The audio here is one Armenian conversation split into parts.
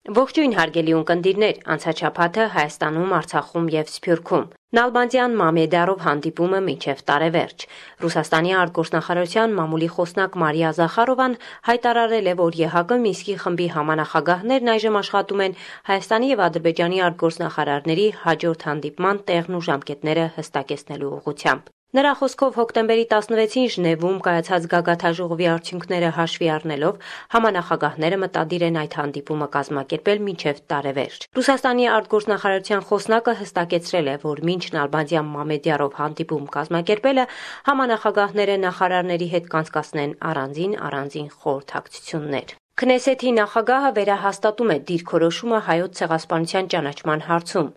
Ողջույն հարգելի ունկնդիրներ, անցած շաբաթը Հայաստանում, Արցախում եւ Սփյուռքում Նալբանդյան Մամեդյարով հանդիպումը մինչև տարեվերջ։ Ռուսաստանի արտգործնախարարության մամուլի խոսնակ Մարիա Զախարովան հայտարարել է, որ ԵՀԿ Մինսկի խմբի համանախագահներն այժմ աշխատում են Հայաստանի եւ Ադրբեջանի արտգործնախարարների հաջորդ հանդիպման տեղն ու ժամկետները հստակեցնելու ուղղությամբ։ Նրա խոսքով հոկտեմբերի 16-ին Ժնևում կայացած գագաթաժողովի արդյունքները հաշվի առնելով համանախագահները մտադիր են այդ հանդիպումը կազմակերպել մինչև տարեվերջ։ Ռուսաստանի արտգործնախարարության խոսնակը հստակեցրել է, որ մինչ Նալբանդյան Մամեդյարով հանդիպում կազմակերպելը համանախագահները նախարարների հետ կանցկացնեն առանձին խորհրդակցություններ։ Քնեսեթի նախագահը վերահաստատում է դիրքորոշումը Հայոց ցեղասպանության ճանաչման հարցում։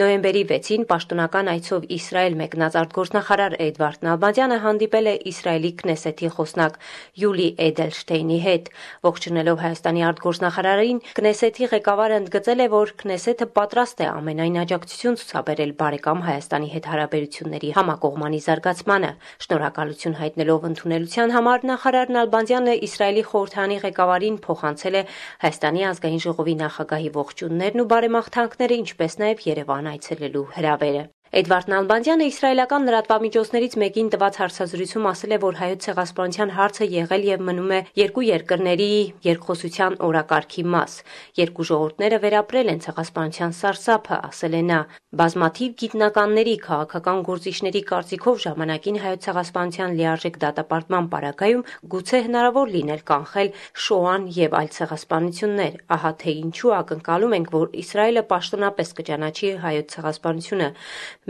Նոյեմբերի 6-ին պաշտոնական այցով Իսրայել մեկնած արտգործնախարար Էդվարդ Նալբանդյանը հանդիպել է Իսրայելի Քնեսեթի խոսնակ Յուլի Էդելշտեյնի հետ։ Ողջունելով Հայաստանի արտգործնախարարին, Քնեսեթի ղեկավարը ընդգծել է, որ Քնեսեթը պատրաստ է ամենայն աջակցություն ցուցաբերել բարեկամ Հայաստանի հետ հարաբերությունների համակողմանի զարգացմանը։ Շնորհակալություն հայտնելով ընդունելության համար նախարար Նալբանդյանը Իսրայելի խորհրդարանի ղեկավարին փոխանցել է Հայաստանի ազգային ժողովի նախագահի ողջույններն ու բարեմաղթանքները, ինչպես նաև Երևան այցելելու հրավերը։ Էդվարդ Նալբանդյանը իսրայելական լրատվամիջոցներից մեկին տված հարցազրույցում ասել է, որ Հայոց ցեղասպանության հարցը եղել եւ մնում է երկու երկրների երկխոսության օրակարգի մաս։ Երկու ժողովուրդները վերապրել են ցեղասպանության սարսափը, ասել է նա։ Բազմաթիվ գիտնականների, քաղաքական գործիչների կարծիքով ժամանակին Հայոց ցեղասպանության լիարժեք դատապարտման պարագայում գուցե հնարավոր լիներ կանխել Շոան եւ այլ ցեղասպանություններ։ Ահա թե ինչու ակնկալում ենք, որ Իսրայելը պաշտոնապես կճանաչի Հայոց ցեղասպանությունը։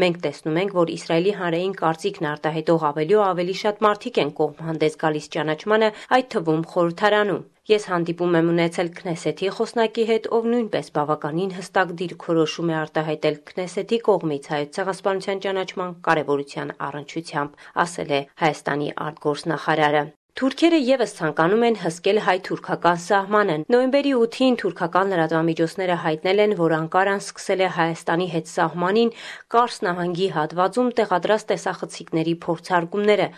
Մենք տեսնում ենք, որ Իսրայելի հանրային կարծիքն արտահայտող ավելի ու ավելի շատ մարդիկ են կողմ հանդես գալիս ճանաչմանը, այդ թվում խորհրդարանում։ Ես հանդիպում եմ ունեցել Քնեսեթի խոսնակի հետ, ով նույնպես բավականին հստակ դիրքորոշում է արտահայտել Քնեսեթի կողմից Հայոց ցեղասպանության ճանաչման կարևորության առնչությամբ, ասել է Հայաստանի արտգործնախարարը։ Թուրքերը եւս ցանկանում են հսկել հայ-թուրքական սահմանը։ Նոյեմբերի 8-ին թուրքական լրատվամիջոցները հայտնել են, որ Անկարան սկսել է Հայաստանի հետ սահմանին Կարս նահանգի հատվածում տեղադրած տեսախցիկների փորձարկումները։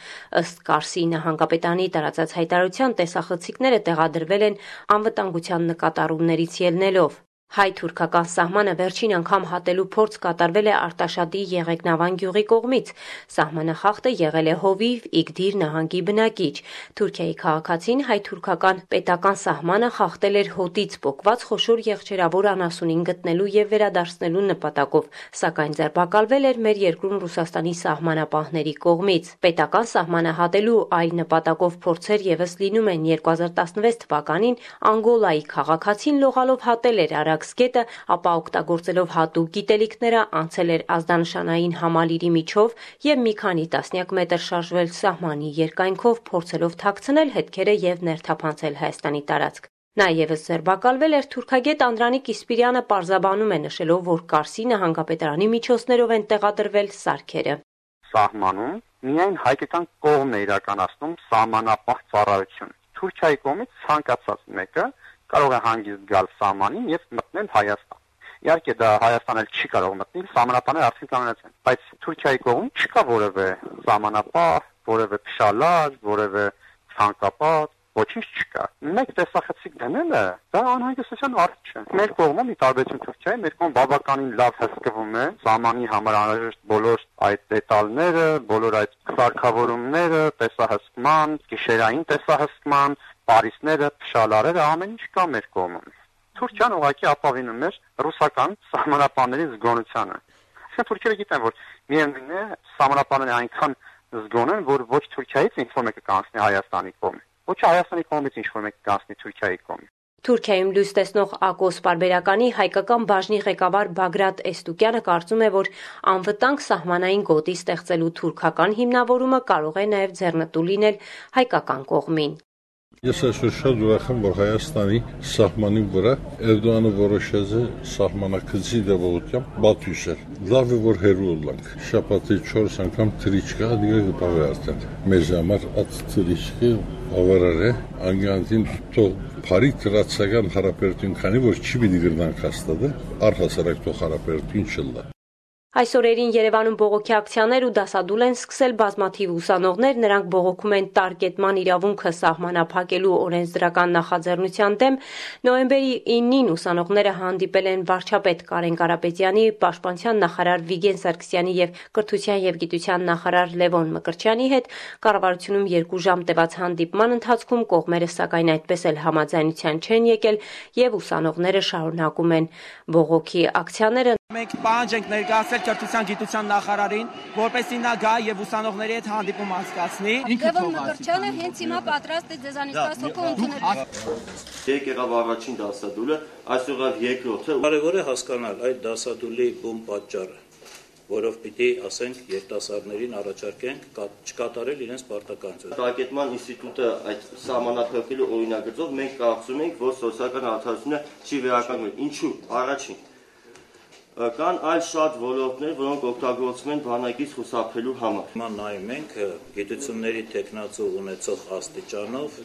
Ըստ Կարսի նահանգապետանի տարածած հայտարարության տեսախցիկները տեղադրվել են անվտանգության նկատառումներից ելնելով։ Հայ-թուրքական սահմանը վերջին անգամ հատելու փորձ կատարվել է Արտաշատի Եղեգնավան գյուղի կողմից։ Սահմանախախտը եղել է Հովիվ Իգդիր նահանգի բնակիչ։ Թուրքիայի քաղաքացին հայ-թուրքական պետական սահմանը խախտել էր հոտից պոկված խոշոր եղջերավոր անասունին գտնելու եւ վերադարձնելու նպատակով, սակայն ձերբակալվել էր մեր երկրում Ռուսաստանի սահմանապահների կողմից։ Պետական սահմանը հատելու այլ նպատակով փորձեր եւս լինում են 2016 թվականին Անգոլայի քաղաքացին լողալով հատել էր Արաքսկետը, ապա օգտագործելով հատուկ գիտելիքները անցել էր ազդանշանային համալիրի միջով եւ մի քանի տասնյակ մետր շարժվել սահմանի երկայնքով, փորձելով թաքցնել հետքերը եւ ներթափանցել Հայաստանի տարածք։ Նա եւս ձերբակալվել էր թուրքագետ Անդրանիկ Իսպիրյանը պարզաբանում է նշելով, որ Կարսի նահանգապետարանի միջոցներով են տեղադրվել սարքերը։ Սահմանում միայն հայկական կողմն է իրականացնում սահմանապահ ծառայություն։ Թուրքիայի կողմից ցանկացած մեկը կարող է հանգիստ գալ սահմանին եւ մտնել Հայաստան։ Իհարկե դա Հայաստան էլ չի կարող մտնել, սահմանապահները արդեն կանոնած են, բայց Թուրքիայի կողմում չկա որևէ սահմանապահ, որևէ փշալար, որևէ ցանկապատ, ոչինչ չկա։ Մեկ տեսախցիկ դնելը դա անհանգստության առիթ չէ։ Մեր կողմում, ի տարբերություն Թուրքիայի, մեր կողմը բավականին լավ հսկվում է սահմանի համար անհրաժեշտ բոլոր այդ դետալները, բոլոր այդ սարքավորումները, տեսահսկման, գիշերային տեսահսկման, Պարիսները, փշալարերը, ամեն ինչ կա մեր կողմում։ Թուրքիան ուղղակի ապավինում էր ռուսական սահմանապահների զգոնությանը։ Այսինքն թուրքերը գիտեն, որ միևնույն է սահմանապահները այնքան զգոն են, որ ոչ Թուրքիայից ինչ-որ մեկը կանցնի Հայաստանի կողմը, ոչ Հայաստանի կողմից ինչ-որ մեկը կանցնի Թուրքիայի կողմը։ Թուրքիայում լույս տեսնող ԱԿՈՍ պարբերականի հայկական բաժնի ղեկավար Բագրատ Էստուկյանը կարծում է, որ անվտանգ սահմանային գոտի ստեղծելու թուրքական հիմնավորումը կարող է նաև ձեռնտու լինել հայկական կողմին։ Ես այսօր շատ ուրախ եմ, որ Հայաստանի սահմանի վրա Էրդողանը որոշեց է սահմանակցի դեպությամբ բաթյուսել։ Լավ է, որ հերու լանք։ Շաբաթի 4 անգամ թրիչկա, դիգը գտավ է արդեն։ Մեզ համար այդ թրիչկը ավարար է, անգանտին թող բարի տրացական հարաբերություն քանի որ չի պիտի գրնանք հաստատել, առհասարակ թող հարաբերություն չլա։ Այս օրերին Երևանում բողոքի ակցիաներ ու դասադուլ են սկսել բազմաթիվ ուսանողներ, նրանք բողոքում են տարկետման իրավունքը սահմանափակելու օրենսդրական նախաձեռնության դեմ։ Նոյեմբերի 9-ին ուսանողները հանդիպել են վարչապետ Կարեն Կարապետյանի, պաշտպանության նախարար Վիգեն Սարգսյանի եւ կրթության եւ գիտության նախարար Լևոն Մկրտչյանի հետ։ Կառավարությունում 2 ժամ տևած հանդիպման ընթացքում կողմերը սակայն այդպես էլ համաձայնության չեն եկել եւ ուսանողները շարունակում են բողոքի ակցիաները։ Մենք պահանջ ենք ներկայացրել կրթության գիտության նախարարին, որպեսզի նա գա եւ ուսանողների հետ հանդիպում անցկացնի։ Լևոն Մկրտչյանը հենց հիմա պատրաստ է ձեզանից 10 հոգու ընդունել։ Եկավ առաջին դասադուլը, այսօր երկրորդը։ Կարևոր է հասկանալ այդ դասադուլի բուն պատճառը, որով պիտի ասենք երիտասարդներին առաջարկենք չկատարել իրենց պարտականությունը։ Տարկետման ինստիտուտը այդ սահմանափակելու օրինագծով մենք կարծում ենք, որ սոցիալական արդարությունը չի վերականգնվել։ Ինչու՞։ Առաջին կան այլ շատ ոլորտներ, որոնք օգտագործվում են բանակից խուսափելու համար։ Հիմա նայում ենք գիտությունների տեխնացու ունեցող աստիճանով,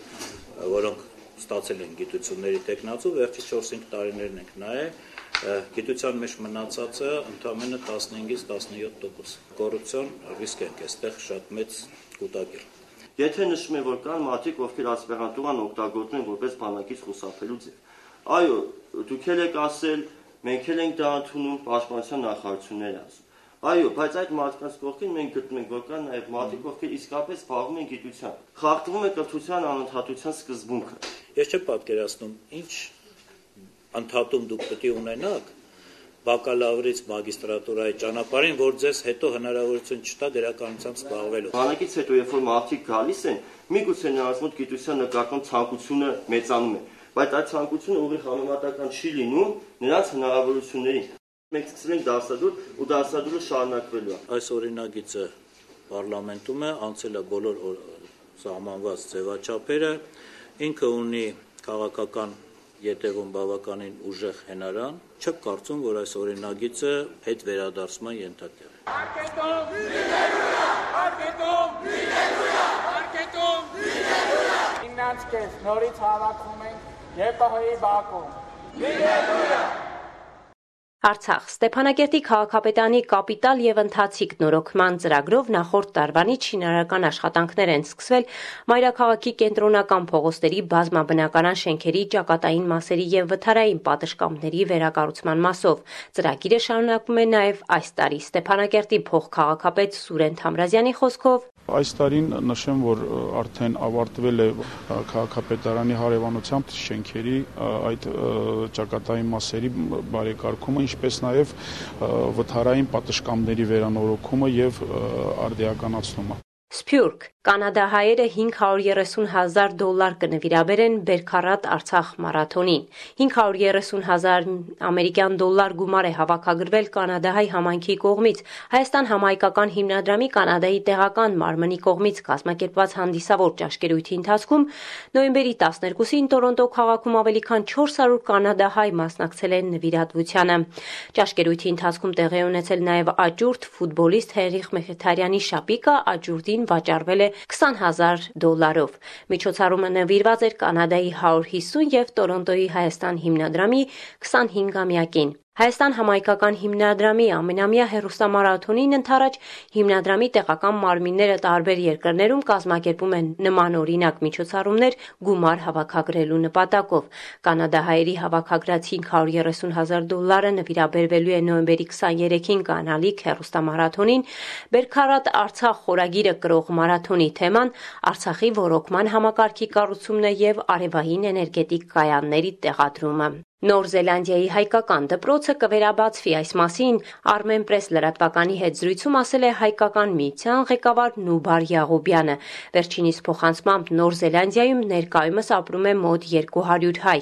որոնք ստացել են գիտությունների տեխնացու, վերջի 4-5 տարիներն ենք նայել, գիտության մեջ մնացածը ընդամենը 15-ից 17%։ Կոռուպցիոն ռիսկ ենք այստեղ շատ մեծ կուտակել։ Եթե նշում է, որ կան մարդիկ, ովքեր ասպիրանտուրան օգտագործում են որպես բանակից խուսափելու ձև։ Այո, դուք եք ասել, մենք էլ ենք դա ընդունում, պաշտպանության նախարարությունները ասում։ Այո, բայց այդ մարդկանց կողքին մենք գտնում ենք, որ կան նաև մարդիկ, ովքեր իսկապես զբաղվում են գիտությամբ։ Խախտվում է կրթության անընդհատության սկզբունքը։ Ես չեմ պատկերացնում, ինչ ընդհատում դուք պետք է ունենաք բակալավրից մագիստրատուրայի ճանապարհին, որ ձեզ հետո հնարավորություն չտա դերականությամբ զբաղվելու։ Բանակից հետո, երբ որ մարդիկ գալիս են, միգուցե նրանց մոտ գիտության նկատմամբ ցանկությունը մեծանում է, բայց այդ ցանկությունը ուղիղ համեմատական չի լինում նրանց հնարավորություններին։ Մենք սկսել ենք դասադուլ ու դասադուլը շարունակվելու է։ Այս օրինագիծը պարլամենտում է, անցել է բոլոր սահմանված ձևաչափերը, ինքը ունի քաղաքական ետևում բավականին ուժեղ հենարան, չեմ կարծում, որ այս օրինագիծը հետ վերադարձման ենթակա է։ Արկետում վիդելույա, արկետում վիդելույա, արկետում վիդելույա։ Իննանցքես նորից հավաքվում ենք ԵՊՀ-ի բակում։ Վիդելույա։ Արցախ Ստեփանակերտի քաղաքապետարանի կապիտալ եւ ընթացիկ նորոգման ծրագրով նախորդ տարվանից շինարարական աշխատանքներ են սկսվել մայրաքաղաքի կենտրոնական փողոցների բազմաբնականան շենքերի ճակատային մասերի եւ վթարային պատշգամբների վերակառուցման մասով։ Ծրագիրը շարունակվում է նաեւ այս տարի։ Ստեփանակերտի փոխքաղաքապետ Սուրեն Թամրազյանի խոսքով Այս տարին նշեմ, որ արդեն ավարտվել է քաղաքապետարանի հարևանությամբ շենքերի այդ ճակատային մասերի բարեկարգումը, ինչպես նաև վթարային պատշգամբների վերանորոգումը եւ արդիականացումը։ Սփյուռք կանադահայերը $530,000 կնվիրաբերեն Բերքարատ Արցախ մարաթոնին։ $530,000 ամերիկյան դոլար գումար է հավաքագրվել կանադահայ համայնքի կողմից։ Հայաստան համայնքական հիմնադրամի կանադայի տեղական մարմնի կողմից կազմակերպված հանդիսավոր ճաշկերույթի ընթացքում նոյեմբերի 12-ին Տորոնտո քաղաքում ավելի քան 400 կանադահայ մասնակցել են նվիրատվությանը։ Ճաշկերույթի ընթացքում տեղի ունեցել նաև աճուրդ ֆուտբոլիստ Հենրիխ Մխիթարյանի շապիկը աճուրդին վաճառվել է $20,000։ Միջոցառումը նվիրված էր Կանադայի 150 եւ Տորոնտոյի Հայաստան հիմնադրամի 25-ամյակին։ Հայաստան համայնքական հիմնադրամի ամենամյա հեռուստամարաթոնին ընդառաջ հիմնադրամի տեղական մարմինները տարբեր երկրներում կազմակերպում են նմանօրինակ միջոցառումներ գումար հավաքագրելու նպատակով։ Կանադահայերի հավաքագրած $530,000 նվիրաբերվելու է նոյեմբերի 23-ին կանալիք հեռուստամարաթոնին։ Բերքարատ Արցախ խորագիրը կրող մարաթոնի թեման Արցախի ոռոգման համակարգի կառուցումն է եւ արևային էներգետիկ կայանների տեղադրումը։ Նոր Զելանդիայի հայկական դպրոցը կվերաբացվի, այս մասին Armenpress լրատվականի հետ զրույցում ասել է հայկական միության ղեկավար Նուբար Յաղոբյանը։ Վերջինիս փոխանցմամբ Նոր Զելանդիայում ներկայումս ապրում է մոտ 200 հայ։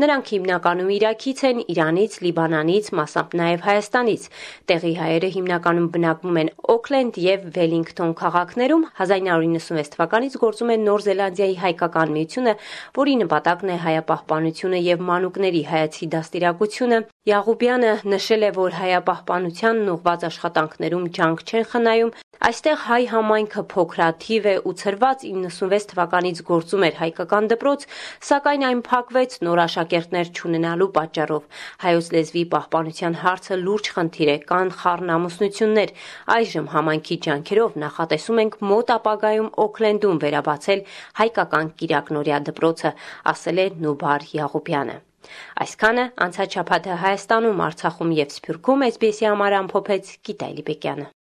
Նրանք հիմնականում Իրաքից են, Իրանից, Լիբանանից, մասամբ նաև Հայաստանից։ Տեղի հայերը հիմնականում բնակվում են Օքլենդ եւ Վելինգթոն քաղաքներում։ 1996 թվականից գործում է Նոր Զելանդիայի հայկական միությունը, որի նպատակն է հայապահպանությունը եւ մանուկների ներկայացի դաստիարակությունը, Յաղուբյանը նշել է, որ հայապահպանությանն ուղղված աշխատանքներում ջանք չեն խնայում, այստեղ հայ համայնքը փոքրաթիվ է ու ցրված 96 թվականից գործում էր հայկական դպրոց, սակայն այն փակվեց նոր աշակերտներ չունենալու պատճառով։ Հայոց լեզվի պահպանության հարցը լուրջ խնդիր է, կան խառնամուսնություններ։ Այժմ համայնքի ջանքերով նախատեսում ենք մոտ ապագայում Օքլենդում վերաբացել հայկական Կիրակնորիա դպրոցը, ասել է Նուբար Յաղուբյանը։ Այսքանը անցած շաբաթը Հայաստանում, Արցախում և Սփյուռքում SBS-ի համար ամփոփեց Գիտալի Բեկյանը։